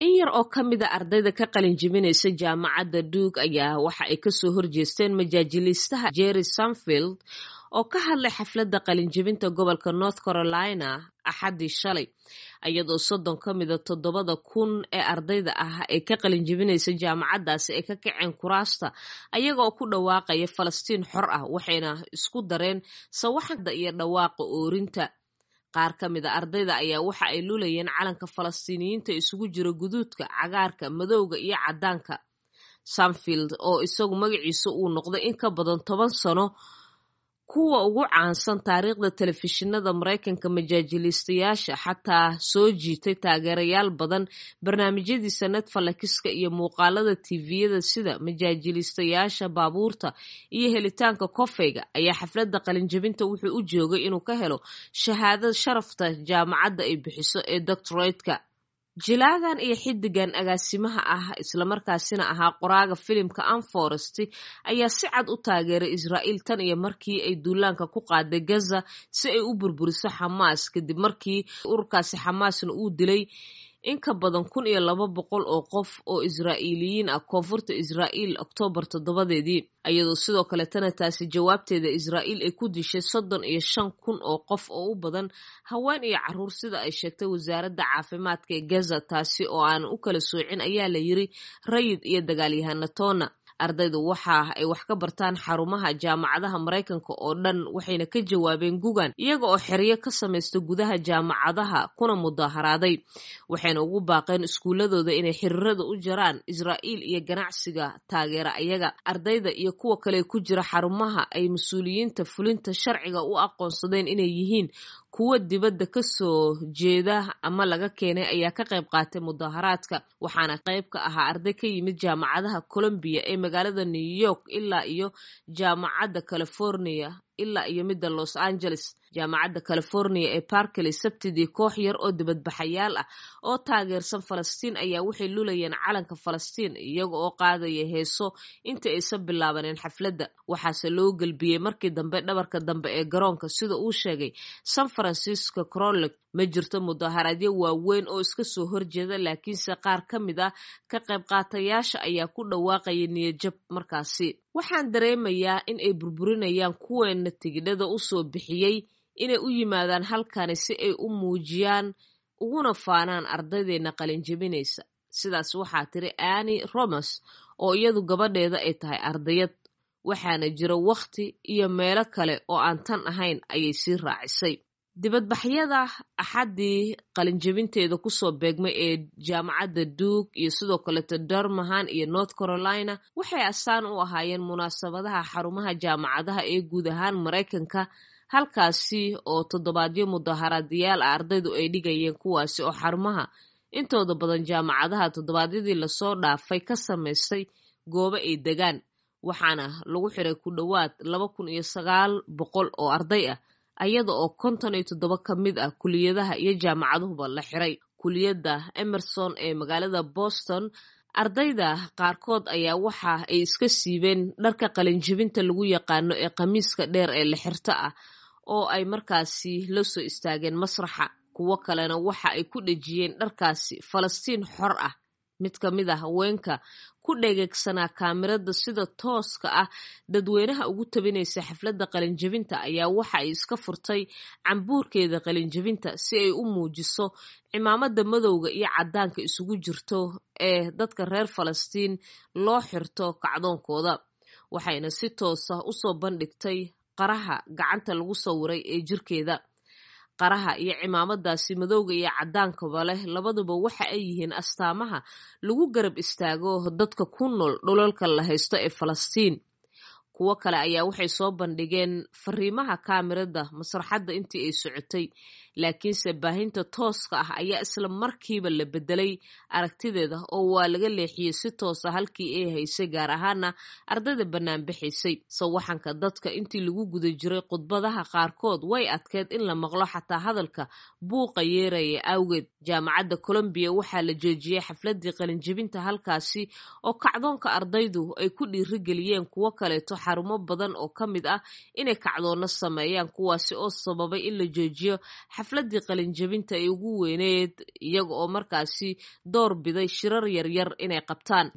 In yar oo ka mid a ardayda ka qalin jebinaysa jaamacadda Duke ayaa waxa ay kasoo horjeesteen majaajiliistaha Jerry Seinfeld oo ka hadlay xafladda qalinjebinta gobolka North Carolina Axaddii shalay, iyadoo 30 ka mida 7,000 ee ardayda ah ee ka qalinjebinaysa jaamacaddaasi ay ka kaceen kuraasta ayaga oo ku dhawaaqaya Falastiin xor ah, waxayna isku dareen sawaxanka iyo dhawaaqa oorinta. Qaar ka mid a ardayda ayaa waxa ay lulayeen calanka Falastiiniyiinta isugu jira guduudka, cagaarka, madowga iyo caddaanka. Seinfeld, oo isagu magaciisa uu noqday in ka badan 10 sano kuwa ugu caansan taariikhda telefishinada Maraykanka majaajiliistayaasha, xataa soo jiitay taageerayaal badan barnaamijyadiisa Netflix-ka iyo muuqaalada TV-yada sida majaajiliistayaasha baabuurta iyo helitaanka kofeyga, ayaa xafladda qalinjebinta wuxuu u joogay inuu ka helo shahaadada sharafta jaamacadda ay bixiso ee doctorate-ka. Jilaagan iyo xiddigan agaasimaha ah islamarkaasina ahaa qoraaga filimka Anne ayaa si cad u taageeray Israa'iil tan iyo markii ay duulaanka ku qaaday Gaza si ay u burburiso Xamaas, kadib markii ururkaasi Xamaasna uu dilay in ka badan 1,200 oo qof oo Israa'iiliyiin ah koonfurta Israa'iil Oktoobar 7-deedii, iyadoo sidoo kaletana taasi jawaabteeda Israa'iil ay ku dishay 35,000 oo qof oo u badan haween iyo caruur, sida ay sheegtay wasaaradda caafimaadka ee Gaza, taasi oo aan u kala soocin ayaa la yiri rayid iyo dagaalyahano toona. Ardaydu waxa ay wax ka bartaan xarumaha jaamacadaha Maraykanka oo dhan, waxayna ka jawaabeen gugan iyaga oo xeryo ka samaysta gudaha jaamacadaha kuna mudaharaaday, waxayna ugu baaqeen iskuuladooda inay xiriirada u jaraan Israa'iil iyo ganacsiga taageera ayaga. Ardayda iyo kuwa kale ku jira xarumaha ay mas-uuliyiinta fulinta sharciga u aqoonsadeen inay yihiin kuwa dibadda ka soo jeeda ama laga keenay ayaa ka qayb qaatay mudaharaadka, waxaana qayb ka ahaa arday ka yimid jaamacadaha Columbia ee magaalada New York ilaa iyo jaamacadda California ilaa iyo midda Los Angeles. Jaamacadda California ee Berkeley Sabtidii, koox yar oo dibadbaxayaal ah oo taageersan Falastiin ayaa waxay lulayeen calanka Falastiin iyaga oo qaadaya heeso inta aysan bilaabanin xafladda, waxaase loo gelbiyey markii dambe dhabarka dambe ee garoonka, sida uu sheegay San Francisco Chronicle. Ma jirto mudaharaadyo waaweyn oo iska soo horjeeda, laakiinse qaar ka mid ah ka qayb qaatayaasha ayaa ku dhawaaqaya niyadjab markaasi. Waxaan dareemayaa in ay burburinayaan kuweena tigidhada u soo bixiyey inay u yimaadaan halkani si ay u muujiyaan uguna faanaan ardaydeena qalinjebinaysa. Sidaas waxaa tiri Annie Romas, oo iyadu gabadheeda ay tahay ardayad. Waxaana jira wakhti iyo meelo kale oo aan tan ahayn, ayay sii raacisay. Dibadbaxyada Axaddii qalinjebinteeda kusoo beegmay ee jaamacadda Duke iyo sidoo kaleto Durham iyo North Carolina waxay astaan u ahaayeen munaasabadaha xarumaha jaamacadaha ee guud ahaan Maraykanka, halkaasi oo toddobaadyo mudaharaadayaal ah ardaydu ay dhigayeen, kuwaasi oo xarumaha intooda badan jaamacadaha toddobaadyadii lasoo dhaafay ka samaystay goobo ay degaan, waxaana lagu xiray ku dhowaad 2,900 oo arday ah, ayada oo 57 ka mid ah kuliyadaha iyo jaamacaduhuba la xiray. Kuliyadda Emerson ee magaalada Boston, ardayda qaarkood ayaa waxa ay iska siibeen dharka qalinjebinta lagu yaqaano ee khamiiska dheer ee la xirto ah oo ay markaasi la soo istaageen masraxa. Kuwo kalena waxa ay ku dhejiyeen dharkaasi Falastiin xor ah. Mid ka mid a haweenka ku dhegeegsanaa kaamirada sida tooska ah dadweynaha ugu tabinaysa xafladda qalinjebinta ayaa waxa ay iska furtay cambuurkeeda qalinjebinta si ay u muujiso cimaamada madowga iyo caddaanka isugu jirto ee dadka reer Falastiin loo xirto kacdoonkooda, waxayna si toosa usoo bandhigtay qaraha gacanta lagu sawiray ee jirkeeda. Qaraha iyo cimaamadaasi madowga iyo caddaankaba leh labaduba waxa ay yihiin astaamaha lagu garab istaago dadka ku nool dhulalka la haysto ee Falastiin. Kuwo kale ayaa waxay soo bandhigeen fariimaha kaamirada masraxadda intii ay socotay, laakiinse baahinta tooska ah ayaa isla markiiba la bedelay aragtideeda oo waa laga leexiyey si toosa halkii ay haysay, gaar ahaana ardayda banaanbaxaysay. Sawaxanka dadka intii lagu guda jiray khudbadaha qaarkood way adkeyd in la maqlo xataa hadalka buuqa yeeraya awgeed. Jaamacadda Columbia waxaa la joojiyey xafladii qalinjebinta halkaasi oo kacdoonka ardaydu ay ku dhiirigeliyeen kuwo kaleeto xarumo badan oo ka mid ah inay kacdoonno sameeyaan, kuwaasi oo sababay in la joojiyo xaflad. xafladii qalinjabinta ay ugu weyneed, iyaga oo markaasi door biday shirar yaryar inay qabtaan.